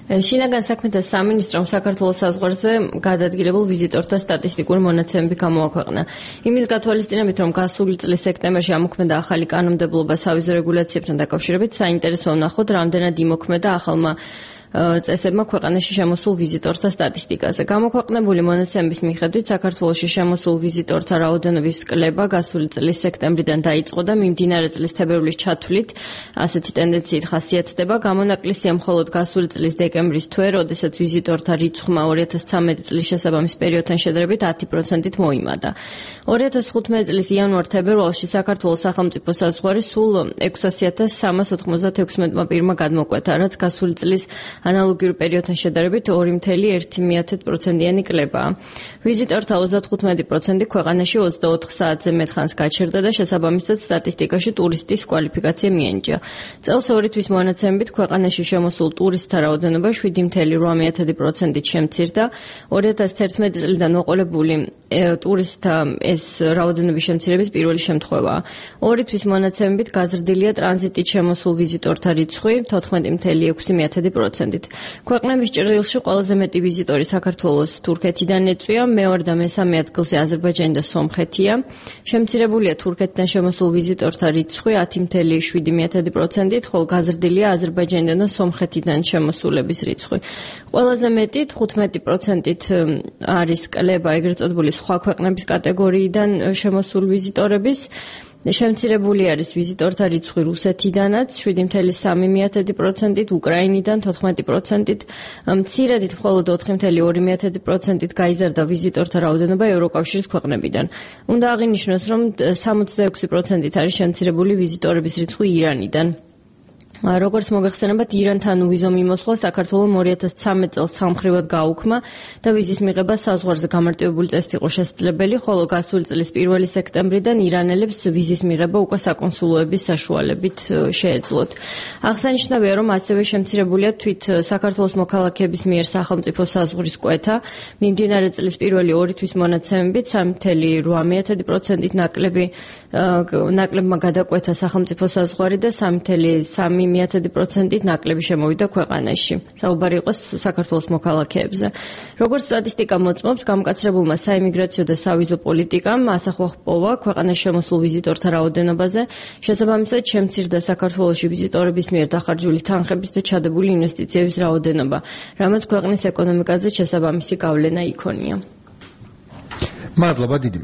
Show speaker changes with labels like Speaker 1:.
Speaker 1: შინაგან საქმეთა სამინისტრომ საქართველოს საზღვარზე გადადგილებულ ვიზიტორთა სტატისტიკური მონაცემები გამოაქვეყნა. იმის გათვალისწინებით, რომ გასული წლის სექტემბერში ამოქმედა ახალი კანონმდებლობა სავიზო რეგულაციებთან დაკავშირებით, საინტერესოა ვნახოთ, რამდენად იმოქმედა ახალმა წესებმა ქვეყანაში შემოსულ ვიზიტორთა სტატისტიკაზე. გამოქვეყნებული მონაცემების მიხედვით საქართველოში შემოსულ ვიზიტორთა რაოდენობის კლება გასული წლის სექტემბრიდან დაიწყო და მიმდინარე წლის თებერვლის ჩათვლით ასეთი ტენდენციით ხასიათდება. გამონაკლისია მხოლოდ გასული წლის დეკემბრის თვე, როდესაც ვიზიტორთა რიცხვმა 2013 წლის შესაბამის პერიოდთან შედარებით 10%-ით მოიმატა. 2015 წლის იანვარ-თებერვალში საქართველოს სახელმწიფო საზღვარი სულ 600.396 პირმა გადმოკვეთა, რაც გასული წლის ანალოგიურ პერიოდთან შედარებით 2.1%-იანი კლებაა. ვიზიტორთა 35% ქვეყანაში 24 საათზე მეტ ხანს გაჩერდა და შესაბამისად სტატისტიკაში ტურისტის კვალიფიკაცია მიენიჭა. წელს ორი თვის მონაცემებით ქვეყანაში შემოსულ ტურისტთა რაოდენობა 7.8%-ით შემცირდა. 2011 წლიდან მოყოლებული ტურისტთა ეს რაოდენობის შემცირების პირველი შემთხვევაა. ორი თვის მონაცემებით გაზრდილია ტრანზიტით შემოსულ ვიზიტორთა რიცხვი 14.6%. ქვეყნების ჭრილში ყველაზე მეტი ვიზიტორი საქართველოს თურქეთიდან ეწვია, მეორე და მესამე ადგილზე აზერბაიჯანი და სომხეთია. შემცირებულია თურქეთიდან შემოსულ ვიზიტორთა რიცხვი 10.7%-ით, ხოლო გაზრდილია აზერბაიჯანიდან და სომხეთიდან შემოსულების რიცხვი. ყველაზე მეტი 15%-ით არის კლება ეგრეთ წოდებული სხვა ქვეყნების კატეგორიიდან შემოსულ ვიზიტორების. შემცირებული არის ვიზიტორთა რიცხვი რუსეთიდანაც 7.3%-ით, უკრაინიდან 14%-ით, მცირედით მხოლოდ 4.2%-ით გაიზარდა ვიზიტორთა რაოდენობა ევროკავშირის ქვეყნებიდან. უნდა აღინიშნოს, რომ 66%-ით არის შემცირებული ვიზიტორების რიცხვი ირანიდან. როგორც მოგეხსენებათ, ირანთან უვიზო მიმოსვლა საქართველოს 2013 წელს სამხრივად გაუქმა და ვიზის მიღება საზღვარზე გამარტივებული წესით იყო შესაძლებელი, ხოლო გასული წლის 1 სექტემბრიდან ირანელებს ვიზის მიღება უკვე საკონსულოების საშუალებით შეეძლოთ. აღსანიშნავია, რომ ასევე შემცირებულია თვით საქართველოს მოქალაქეების მიერ სახელმწიფო საზღვრის კვეთა. მიმდინარე წლის პირველი ორი თვის მონაცემებით 3.8%-ით ნაკლებმა გადაკვეთა სახელმწიფო საზღვარი და 3.3%-ით ნაკლები შემოვიდა ქვეყანაში. საუბარი იყო საქართველოს მოქალაქეებზე. როგორც სტატისტიკა მოწმობს, გამკაცრებულმა საიმიგრაციო და სავიზო პოლიტიკამ ასახვა ჰპოვა ქვეყანაში შემოსულ ვიზიტორთა რაოდენობაზე. შესაბამისად, შემცირდა საქართველოში ვიზიტორების მიერ დახარჯული თანხების და ჩადებული ინვესტიციების რაოდენობა, რამაც ქვეყნის ეკონომიკაზე შესაბამისი გავლენა იქონია.
Speaker 2: მადლობა დიდი.